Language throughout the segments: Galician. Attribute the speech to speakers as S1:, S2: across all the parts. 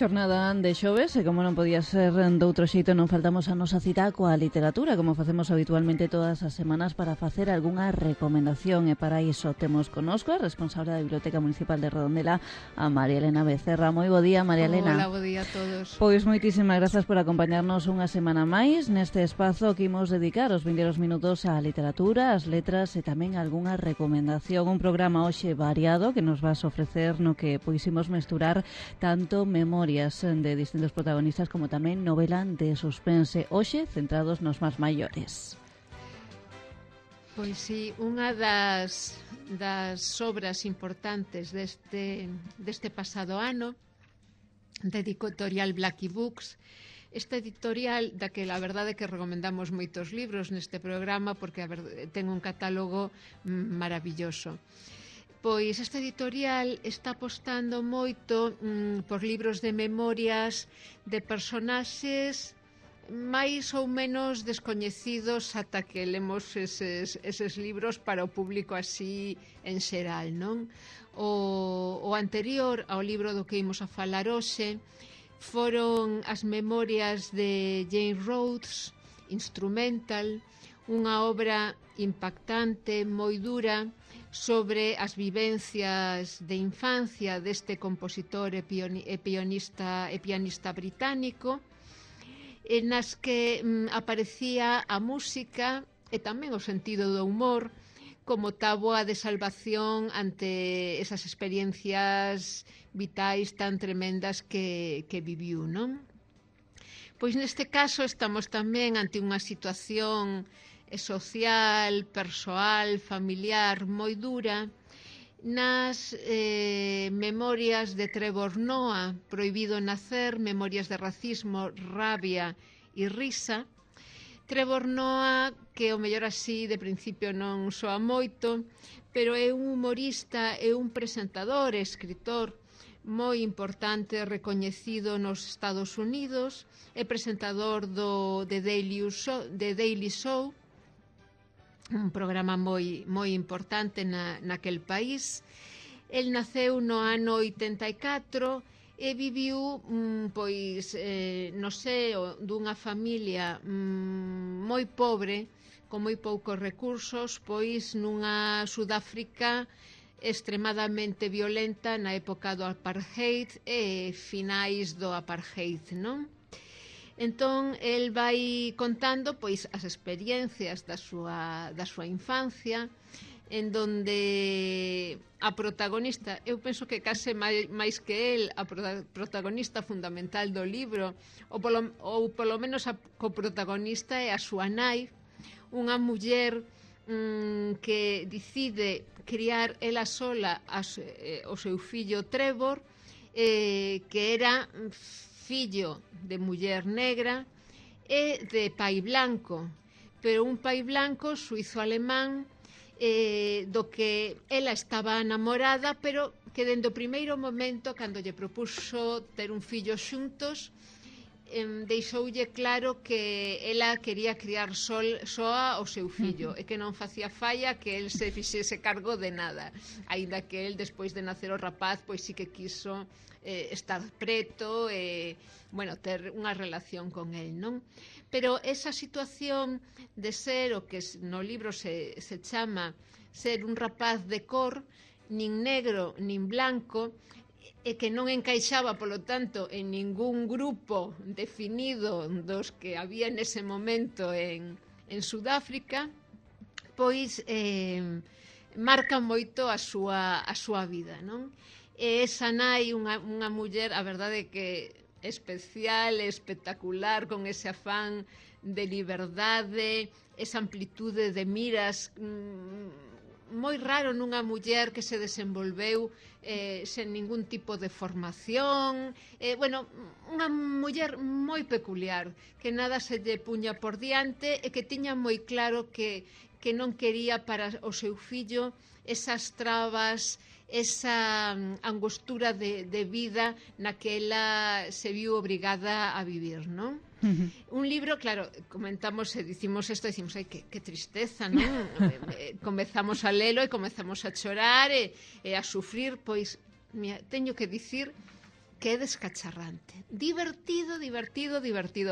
S1: Xornada de xoves e como non podía ser doutro xeito non faltamos a nosa cita coa literatura como facemos habitualmente todas as semanas para facer algunha recomendación e para iso temos connosco a responsable da Biblioteca Municipal de Redondela, a María Elena Becerra. Moi bo día, María Elena.
S2: Hola, bo día a todos.
S1: Pois moitísimas grazas por acompañarnos unha semana máis neste espazo que imos dedicar os vindeiros minutos á literatura, ás letras e tamén algunha recomendación. Un programa hoxe variado que nos vas ofrecer no que poisimos mesturar tanto memorias de distintos protagonistas como tamén novela de suspense, hoxe centrados nos máis maiores.
S2: Pois sí, unha das obras importantes deste pasado ano da editorial Blackie Books, esta editorial da que a verdade é que recomendamos moitos libros neste programa porque ten un catálogo maravilloso. Pois esta editorial está apostando moito por libros de memorias de personaxes máis ou menos descoñecidos ata que lemos eses libros para o público así en xeral, non? O anterior ao libro do que imos a falar hoxe foron as memorias de Jane Rhodes, Instrumental, unha obra impactante, moi dura, sobre as vivencias de infancia deste compositor e pianista británico, nas que aparecía a música e tamén o sentido do humor como táboa de salvación ante esas experiencias vitais tan tremendas que viviu, non? Pois neste caso estamos tamén ante unha situación social, persoal, familiar moi dura nas memorias de Trevor Noah, Prohibido nacer, memorias de racismo, rabia e risa. Trevor Noah, que o mellor así de principio non soa moito, pero é un humorista e un presentador e escritor moi importante, recoñecido nos Estados Unidos, é presentador The Daily Show, un programa moi importante naquel país. El naceu no ano 84 e viviu pois no seo dunha familia moi pobre, con moi poucos recursos, pois nunha Sudáfrica extremadamente violenta na época do apartheid e finais do apartheid, non? Entón, el vai contando pois as experiencias da súa infancia, en donde a protagonista, eu penso que case máis que el, a protagonista fundamental do libro, ou polo menos a coprotagonista é a súa nai, unha muller que decide criar ela sola o seu fillo Trevor, que era fillo de muller negra e de pai blanco, pero un pai blanco suizo-alemán do que ela estaba enamorada, pero que dende o primeiro momento, cando lle propuxo ter un fillo xuntos, deixoulle claro que ela quería criar soa o seu fillo e que non facía falla que el se fixese cargo de nada, aínda que el despois de nacer o rapaz pois sí que quiso estar preto e ter unha relación con el, non? Pero esa situación de ser o que no libro se chama ser un rapaz de cor, nin negro nin blanco, e que non encaixaba, polo tanto, en ningún grupo definido dos que había nese momento en Sudáfrica, pois marca moito a súa vida, non? E esa nai, unha muller, a verdade que especial, espectacular, con ese afán de liberdade, esa amplitude de miras, moi raro nunha muller que se desenvolveu sen ningún tipo de formación, unha muller moi peculiar, que nada se lle puña por diante e que tiña moi claro que non quería para o seu fillo esas trabas, esa angostura de vida na que ela se viu obrigada a vivir, non? Un libro, claro, comentamos e dicimos isto, dicimos, ai, que tristeza, non? Comezamos a lelo e comezamos a chorar e a sufrir, pois teño que dicir que é descacharrante. Divertido,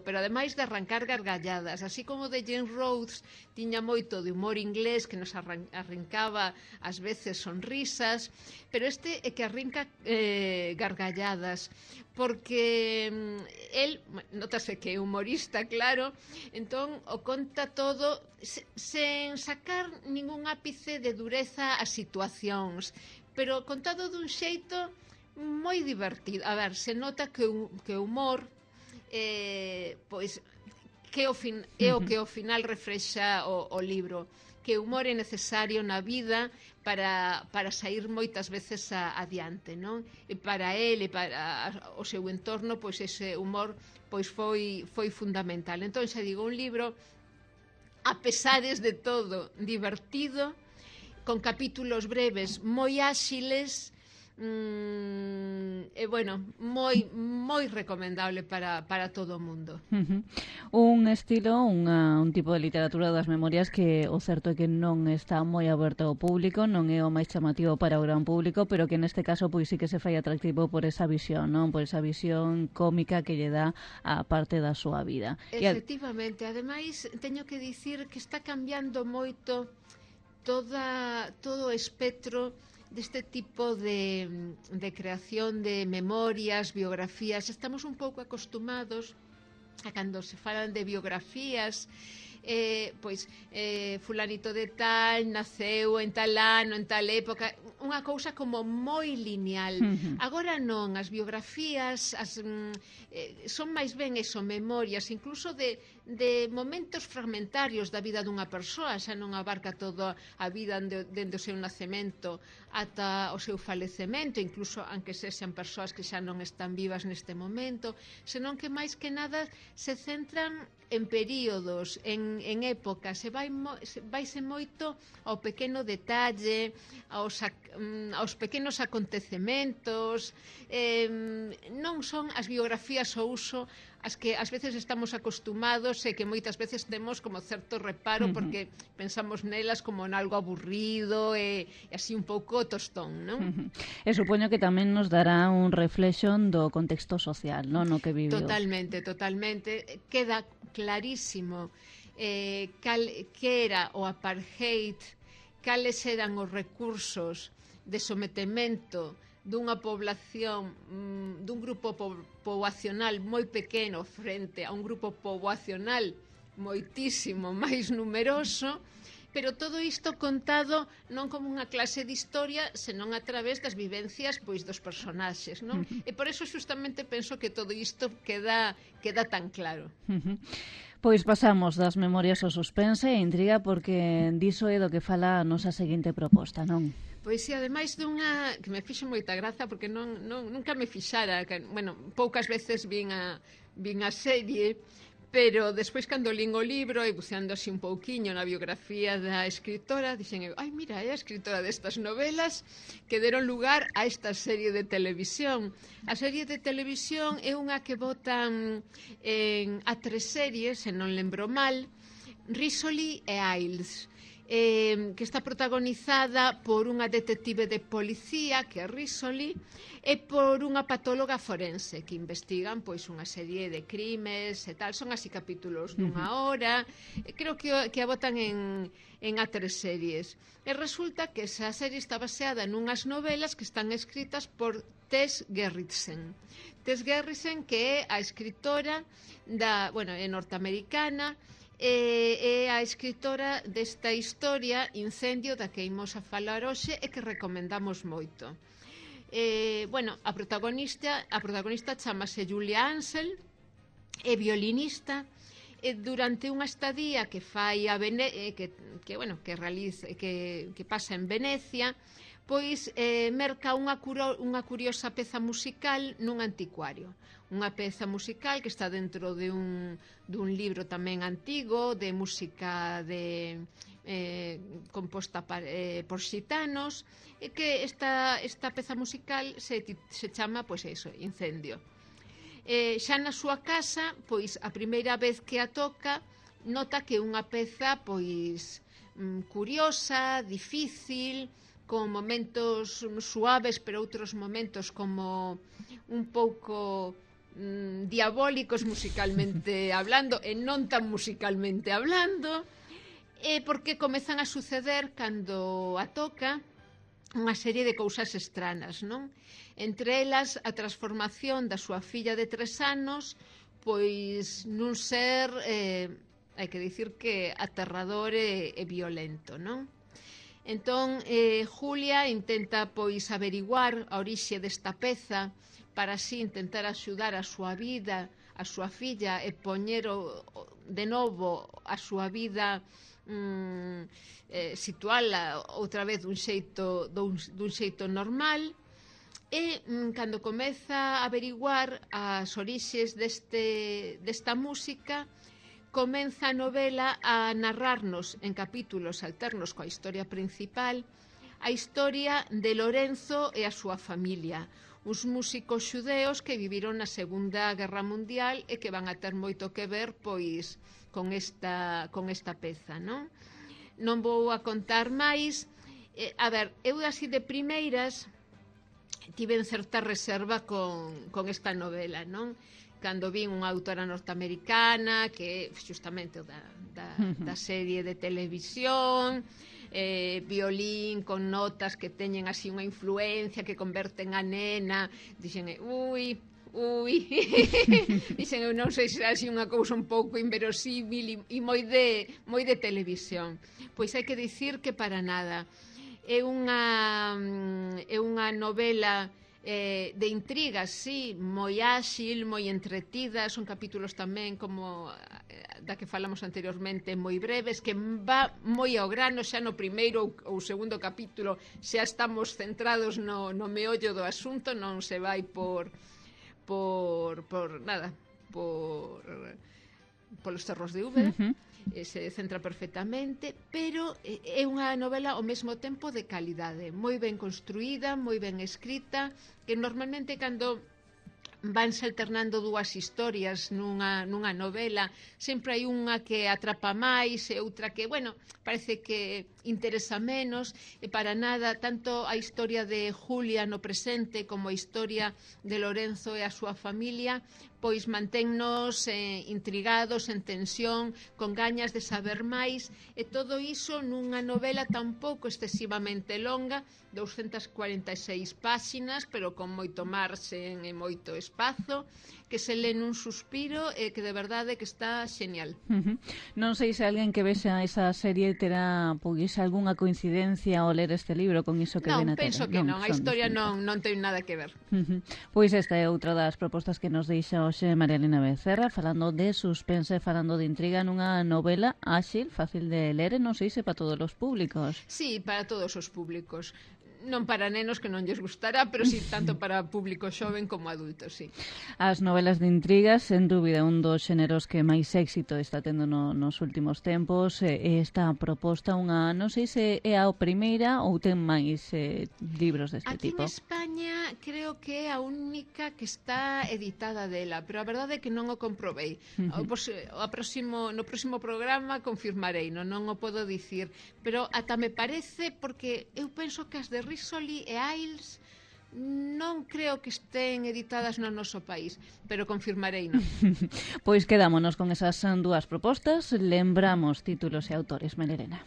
S2: pero ademais de arrancar gargalladas, así como de Jane Rhodes tiña moito de humor inglés que nos arrancaba ás veces sonrisas, pero este é que arrinca gargalladas, porque el, notase que é humorista, claro, entón o conta todo sen sacar ningún ápice de dureza ás situacións, pero contado dun xeito moi divertido. A ver, se nota que o humor pois que o que ao final reflexa o libro, que o humor é necesario na vida para sair moitas veces adiante, non? E para el e para o seu entorno, pois ese humor pois foi fundamental. Entón, xa digo, un libro a pesares de todo divertido, con capítulos breves moi áxiles, e bueno, moi recomendable para todo o mundo.
S1: Un estilo, un tipo de literatura das memorias que o certo é que non está moi aberto ao público, non é o máis chamativo para o gran público, pero que neste caso pois sí que se fai atractivo por esa visión, non? Por esa visión cómica que lle dá a parte da súa vida.
S2: Efectivamente, ademais teño que dicir que está cambiando moito todo o espectro deste tipo de creación de memorias, biografías. Estamos un pouco acostumados a cando se falan de biografías, fulanito de tal naceu en tal ano, en tal época, unha cousa como moi lineal. Agora non, as biografías son máis ben eso, memorias, incluso de momentos fragmentarios da vida dunha persoa, xa non abarca toda a vida dende o seu nacemento ata o seu falecemento, incluso aunque sexan persoas que xa non están vivas neste momento, senón que máis que nada se centran en períodos, en épocas, vaise moito ao pequeno detalle, aos pequenos acontecementos. Non son as biografías ao uso as que ás veces estamos acostumados e que moitas veces temos como certo reparo porque pensamos nelas como en algo aburrido e así un pouco tostón, non?
S1: E supoño que tamén nos dará un reflexo do contexto social, non? No que viviu.
S2: Totalmente. Queda clarísimo que era o apartheid, cales eran os recursos de sometemento dunha población, dun grupo poboacional moi pequeno frente a un grupo poboacional moitísimo máis numeroso, pero todo isto contado non como unha clase de historia, senón a través das vivencias pois dos personaxes, non? E por eso justamente penso que todo isto queda tan claro.
S1: Pois pasamos das memorias ao suspense e intriga porque diso é do que fala a nosa seguinte proposta, non?
S2: Pois si, ademais dunha que me fixo moita graza porque nunca me fixara, bueno, poucas veces vin a serie, pero despois cando lín o libro e buceando así un pouquiño na biografía da escritora, dixen eu, ai mira, é a escritora destas novelas que deron lugar a esta serie de televisión. A serie de televisión é unha que botan a 3 series, se non lembro mal, Rizzoli e Isles, que está protagonizada por unha detective de policía, que é Rizzoli, e por unha patóloga forense que investigan pois unha serie de crimes e tal. Son así capítulos dunha hora, creo que a botan en A3 series. E resulta que esa serie está baseada nunhas novelas que están escritas por Tess Gerritsen. Tess Gerritsen, que é a escritora é norteamericana, é a escritora desta historia Incendio, da que imos a falar hoxe e que recomendamos moito. A protagonista chamase Julia Ansel, é violinista, e durante unha estadía que fai que pasa en Venecia, pois merca unha curiosa peza musical nun anticuario. Unha peza musical que está dentro dun libro tamén antigo de música composta por xitanos, e que esta peza musical se chama, pois eso, Incendio. Xa na súa casa, pois a primeira vez que a toca, nota que é unha peza pois curiosa, difícil, con momentos suaves, pero outros momentos como un pouco diabólicos musicalmente hablando e non tan musicalmente hablando, porque comezan a suceder cando a toca unha serie de cousas estranas, non? Entre elas a transformación da súa filla de 3 anos pois nun ser hai que dicir que aterrador e violento, non? Entón, Julia intenta pois averiguar a orixe desta peza para así intentar axudar a súa vida, a súa filla e poñer de novo a súa vida situala outra vez dun xeito normal. E cando comeza a averiguar as orixes desta música, comeza a novela a narrarnos en capítulos alternos coa historia principal a historia de Lorenzo e a súa familia, uns músicos xudeos que viviron na Segunda Guerra Mundial e que van a ter moito que ver pois con esta peza, non? Non vou a contar máis. A ver, eu así de primeiras tiven certa reserva con esta novela, non? Cando vin unha autora norteamericana que justamente da serie de televisión, violín con notas que teñen así unha influencia que converten a nena, dixen, ui, dixen, eu non sei se é así unha cousa un pouco inverosímil e moi de televisión. Pois hai que dicir que para nada. É unha novela de intrigas, sí, moi áxil, moi entretida, son capítulos tamén como da que falamos anteriormente, moi breves, que va moi ao grano, xa no primeiro ou segundo capítulo xa estamos centrados no meollo do asunto, non se vai polos cerros de Úbeda. Se centra perfectamente, pero é unha novela ao mesmo tempo de calidade, moi ben construída, moi ben escrita, que normalmente cando vanse alternando dúas historias nunha novela, sempre hai unha que atrapa máis e outra que, bueno, parece que interesa menos, e para nada, tanto a historia de Julia no presente como a historia de Lorenzo e a súa familia pois manténnos intrigados, en tensión, con gañas de saber máis, e todo iso nunha novela tampouco excesivamente longa, 246 páxinas, pero con moito marxen e moito espazo, que se lê nun suspiro e que de verdade que está xenial.
S1: Non sei se alguén que vexa esa serie terá pois algunha coincidencia ao ler este libro con iso que ven a tele.
S2: Non, penso que non, a historia non ten nada que ver.
S1: Pois esta é outra das propostas que nos deixa hoxe María Elena Becerra, falando de suspense, falando de intriga nunha novela áxil, fácil de ler, e non sei se para todos os públicos.
S2: Sí, para todos os públicos. Non para nenos que non lles gustará, pero sí tanto para público xoven como adulto, sí.
S1: As novelas de intrigas, sen dúbida, un dos xéneros que máis éxito está tendo nos últimos tempos. Esta proposta unha, non sei se é a primeira ou ten máis libros deste tipo.
S2: Aquí en España creo que é a única que está editada dela, pero a verdade é que non o comprobei. No próximo programa confirmarei, non o podo dicir, pero ata me parece, porque eu penso que as de Risoli e Ailes non creo que estén editadas no noso país, pero confirmarei, non?
S1: Pois quedámonos con esas dúas propostas. Lembramos títulos e autores, María Elena.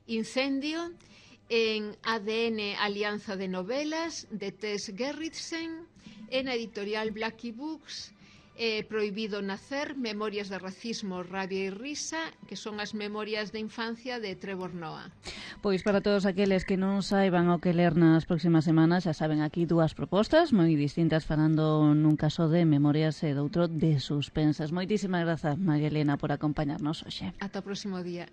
S2: Incendio, en ADN Alianza de Novelas, de Tess Gerritsen, en a editorial Blackie Books. Prohibido nacer, Memorias de racismo, rabia e risa, que son as memorias de infancia de Trevor Noah.
S1: Pois para todos aqueles que non saiban o que ler nas próximas semanas, xa saben aquí dúas propostas moi distintas, falando nun caso de memorias e doutro de suspensas. Moitísimas grazas, María Elena, por acompañarnos hoxe.
S2: Ata o próximo día.